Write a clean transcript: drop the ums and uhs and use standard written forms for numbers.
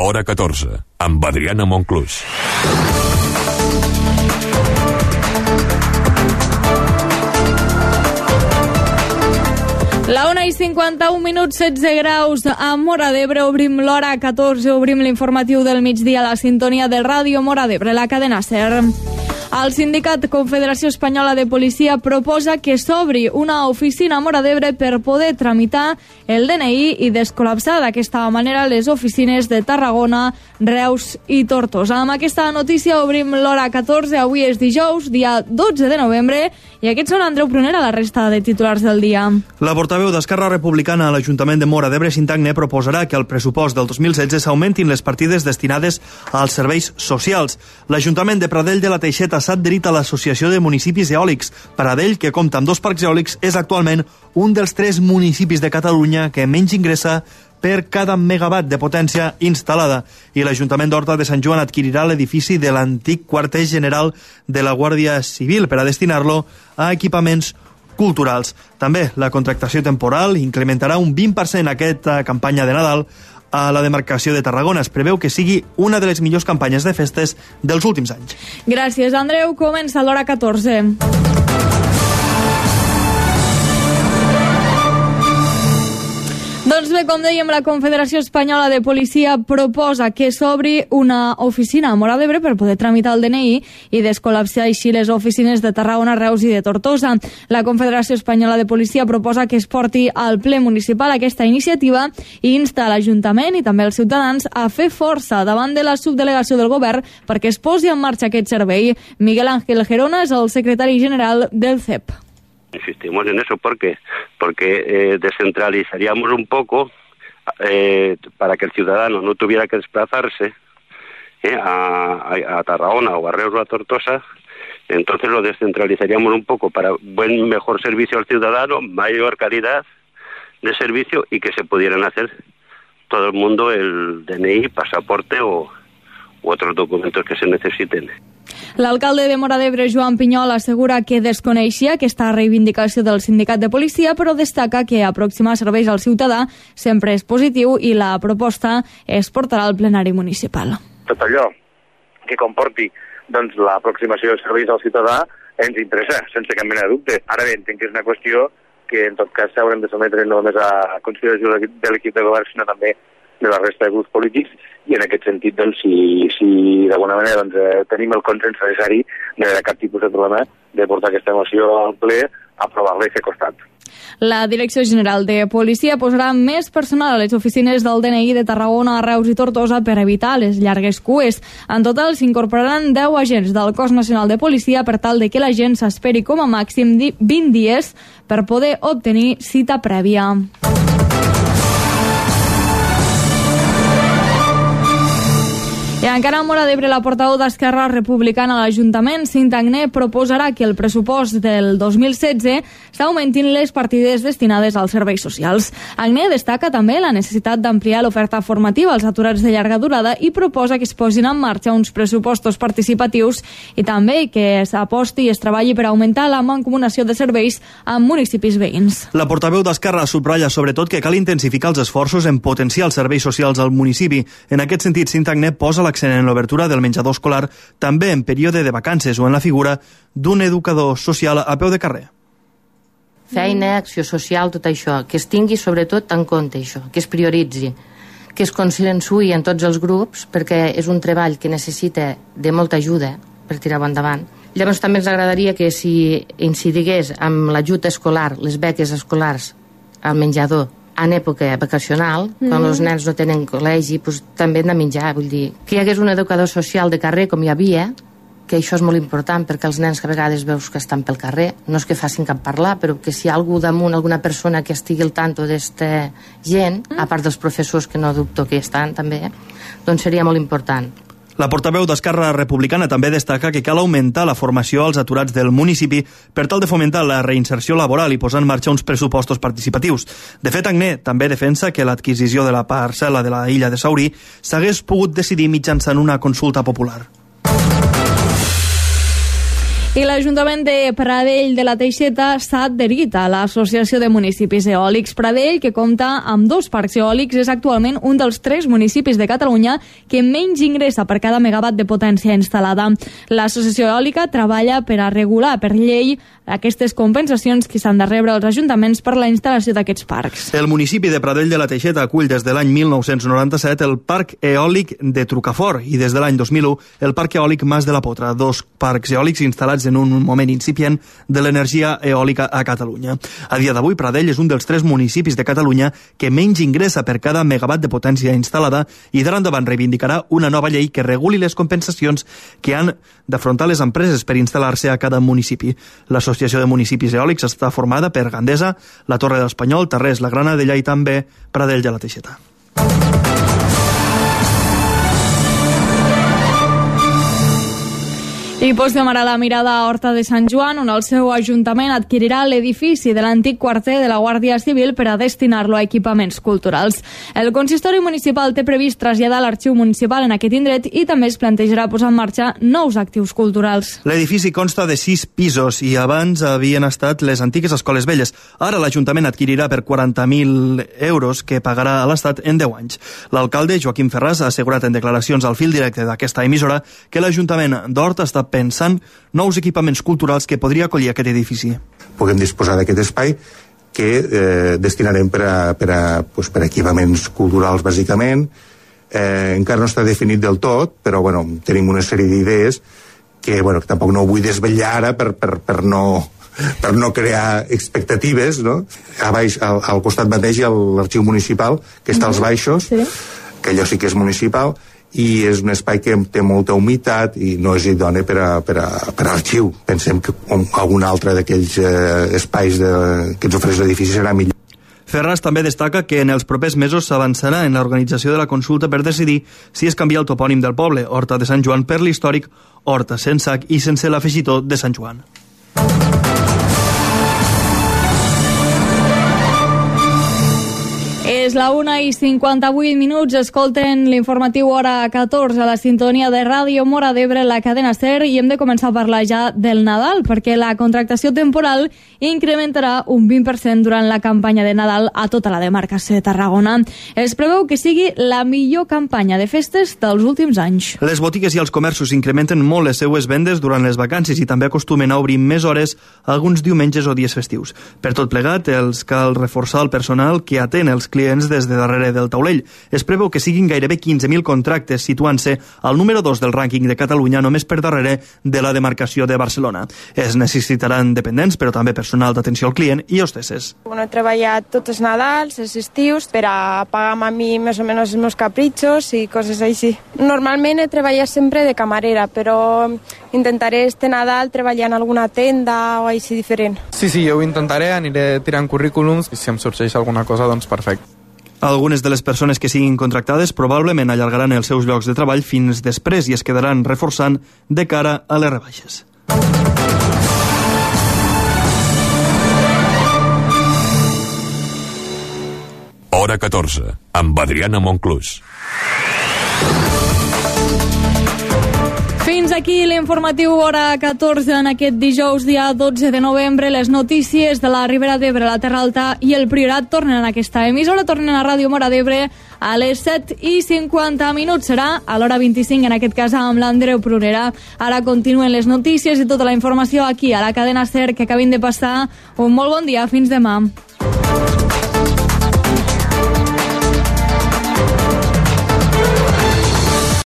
Hora 14, amb Adriana Monclús. La 1:51, 16 graus a Móra d'Ebre. Obrim l'hora 14, obrim l'informatiu del migdia a la sintonia del Ràdio Móra d'Ebre, la cadena SER. El sindicat Confederació Espanyola de Policia proposa que s'obri una oficina a Móra d'Ebre per poder tramitar el DNI i descol·lapsar d'aquesta manera les oficines de Tarragona, Reus i Tortosa. Amb aquesta notícia obrim l'hora 14. Avui és dijous, dia 12 de novembre, i aquests són Andreu Prunera, la resta de titulars del dia. La portaveu d'Esquerra Republicana a l'Ajuntament de Móra d'Ebre, Cintagne, proposarà que al pressupost del 2016 s'augmentin les partides destinades als serveis socials. L'Ajuntament de Pradell de la Teixeta s'ha adherit a l'Associació de Municipis Eòlics. Pradell, que compta amb 2 parcs eòlics, és actualment un dels 3 municipis de Catalunya que menys ingressa per cada megawatt de potència instal·lada. I l'Ajuntament d'Horta de Sant Joan adquirirà l'edifici de l'antic quarter general de la Guàrdia Civil per a destinar-lo a equipaments culturals. També la contractació temporal incrementarà un 20% aquesta campanya de Nadal a la demarcació de Tarragona. Es preveu que sigui una de les millors campanyes de festes dels últims anys. Gràcies, Andreu. Comença l'hora 14. Doncs bé, com dèiem, la Confederació Espanyola de Policia proposa que s'obri una oficina a Móra d'Ebre per poder tramitar el DNI i descol·lapsar així les oficines de Tarragona, Reus i de Tortosa. La Confederació Espanyola de Policia proposa que es porti al ple municipal aquesta iniciativa i insta a l'Ajuntament i també als ciutadans a fer força davant de la subdelegació del govern perquè es posi en marxa aquest servei. Miguel Ángel Gerona és el secretari general del CEP. Insistimos en eso porque descentralizaríamos un poco para que el ciudadano no tuviera que desplazarse a Tarragona o a Reus o a Tortosa. Entonces lo descentralizaríamos un poco para mejor servicio al ciudadano, mayor calidad de servicio y que se pudieran hacer todo el mundo el DNI, pasaporte u otros documentos que se necesiten. L'alcalde de Móra d'Ebre, Joan Pinyol, assegura que desconeixia aquesta reivindicació del sindicat de policia, però destaca que aproximar serveis al ciutadà sempre és positiu i la proposta es portarà al plenari municipal. Tot allò que comporti l'aproximació de serveis al ciutadà ens interessa, sense cap mena de dubte. Ara bé, entenc que és una qüestió que en tot cas s'haurem de sometre no només a consideració de l'equip de govern, sinó també de la resta de grups polítics, i en aquest sentit, si d'alguna manera tenim el consens necessari, no hi ha cap tipus de problema de portar aquesta moció al ple, aprovar-la i fer costat. La Direcció General de Policia posarà més personal a les oficines del DNI de Tarragona, Reus i Tortosa per evitar les llargues cues. En total s'incorporaran 10 agents del Cos Nacional de Policia per tal de que la gent s'esperi com a màxim 20 dies per poder obtenir cita prèvia. I encara a Móra d'Ebre, la portaveu d'Esquerra Republicana a l'Ajuntament, Cinta Agné, proposarà que el pressupost del 2016 s'augmentin les partides destinades als serveis socials. Agné destaca també la necessitat d'ampliar l'oferta formativa als aturats de llarga durada i proposa que es posin en marxa uns pressupostos participatius i també que s'aposti i es treballi per augmentar la mancomunació de serveis amb municipis veïns. La portaveu d'Esquerra subratlla sobretot que cal intensificar els esforços en potenciar els serveis socials al municipi. En aquest sentit, Cinta Agné posa l'accent en l'obertura del menjador escolar també en període de vacances o en la figura d'un educador social a peu de carrer. Feina, acció social, tot això, que es tingui sobretot en compte això, que es prioritzi, que es consensuï en tots els grups, perquè és un treball que necessita de molta ajuda per tirar-ho endavant. Llavors també ens agradaria que si incidigués amb l'ajut escolar, les beques escolars al menjador, en època vacacional, quan els nens no tenen col·legi, doncs, també hem de menjar, vull dir, que hi hagués un educador social de carrer com hi havia, que això és molt important perquè els nens que a vegades veus que estan pel carrer, no és que facin cap parlar, però que si hi ha algú damunt, alguna persona que estigui al tanto d'esta gent, a part dels professors que no dubto que hi estan també, doncs seria molt important. La portaveu d'Esquerra Republicana també destaca que cal augmentar la formació als aturats del municipi per tal de fomentar la reinserció laboral i posar en marxa uns pressupostos participatius. De fet, Agné també defensa que l'adquisició de la parcel·la de la illa de Saurí s'hagués pogut decidir mitjançant una consulta popular. I l'Ajuntament de Pradell de la Teixeta s'ha adherit a l'Associació de Municipis Eòlics. Pradell, que compta amb 2 parcs eòlics, és actualment un dels 3 municipis de Catalunya que menys ingressa per cada megawatt de potència instal·lada. L'Associació Eòlica treballa per a regular per llei aquestes compensacions que s'han de rebre als ajuntaments per la instal·lació d'aquests parcs. El municipi de Pradell de la Teixeta acull des de l'any 1997 el Parc Eòlic de Trucafort i des de l'any 2001 el Parc Eòlic Mas de la Potra, 2 parcs eòlics instal·lats en un moment incipient de l'energia eòlica a Catalunya. A dia d'avui, Pradell és un dels 3 municipis de Catalunya que menys ingressa per cada megawatt de potència instal·lada i d'ara endavant reivindicarà una nova llei que reguli les compensacions que han d'afrontar les empreses per instal·lar-se a cada municipi. L'Associació de Municipis Eòlics està formada per Gandesa, la Torre de l'Espanyol, Tarrés, la Granadella i també Pradell de la Teixeta. I posem ara la mirada a Horta de Sant Joan, on el seu ajuntament adquirirà l'edifici de l'antic quarter de la Guàrdia Civil per a destinar-lo a equipaments culturals. El consistori municipal té previst traslladar l'arxiu municipal en aquest indret i també es plantejarà posar en marxa nous actius culturals. L'edifici consta de 6 pisos i abans havien estat les antigues escoles velles. Ara l'Ajuntament adquirirà per 40.000 euros que pagarà a l'Estat en 10 anys. L'alcalde, Joaquim Ferràs, ha assegurat en declaracions al fil directe d'aquesta emissora que l'Ajuntament d'Horta està pensant nous equipaments culturals que podria acollir aquest edifici. Puguem disposar d'aquest espai que destinarem per a equipaments culturals, bàsicament. Encara no està definit del tot, però tenim una sèrie d'idees que tampoc no ho vull desvetllar ara per no crear expectatives, no? A baix, al costat mateix, hi ha l'arxiu municipal, que està als baixos, sí, que allò sí que és municipal, i és un espai que té molta humitat i no és idoni per a arxiu. Pensem que algun altre d'aquells espais que ens ofereix l'edifici serà millor. Ferràs també destaca que en els propers mesos s'avançarà en l'organització de la consulta per decidir si es canvia el topònim del poble, Horta de Sant Joan, per l'històric Horta, sense H i sense l'afegitó de Sant Joan. És la 1:58, escolten l'informatiu hora 14 a la sintonia de Ràdio Mora d'Ebre, la cadena SER, i hem de començar a parlar ja del Nadal, perquè la contractació temporal incrementarà un 20% durant la campanya de Nadal a tota la demarcació de Tarragona. Es preveu que sigui la millor campanya de festes dels últims anys. Les botigues i els comerços incrementen molt les seues vendes durant les vacances i també acostumen a obrir més hores alguns diumenges o dies festius. Per tot plegat, els cal reforçar el personal que atén els clients des de darrere del taulell. Es preveu que siguin gairebé 15.000 contractes, situant-se al número 2 del rànquing de Catalunya, només per darrere de la demarcació de Barcelona. Es necessitaran dependents, però també personal d'atenció al client i hostesses. He treballat tots els Nadals, els estius, per a pagar a mi més o menys els meus capritxos i coses així. Normalment he treballat sempre de camarera, però intentaré este Nadal treballar en alguna tenda o així diferent. Sí, jo ho intentaré, aniré tirant currículums i si em sorgeix alguna cosa, doncs perfecte. Algunes de les persones que siguin contractades probablement allargaran els seus llocs de treball fins després i es quedaran reforçant de cara a les rebaixes. Hora 14, amb Adriana Monclús. Fins aquí l'informatiu hora 14 en aquest dijous, dia 12 de novembre. Les notícies de la Ribera d'Ebre, la Terra Alta i el Priorat tornen a aquesta emissora, tornen a Ràdio Mora d'Ebre a les 7:50. Serà a l'hora 25, en aquest cas amb l'Andreu Prunera. Ara continuen les notícies i tota la informació aquí a la cadena SER, que acabin de passar un molt bon dia. Fins demà.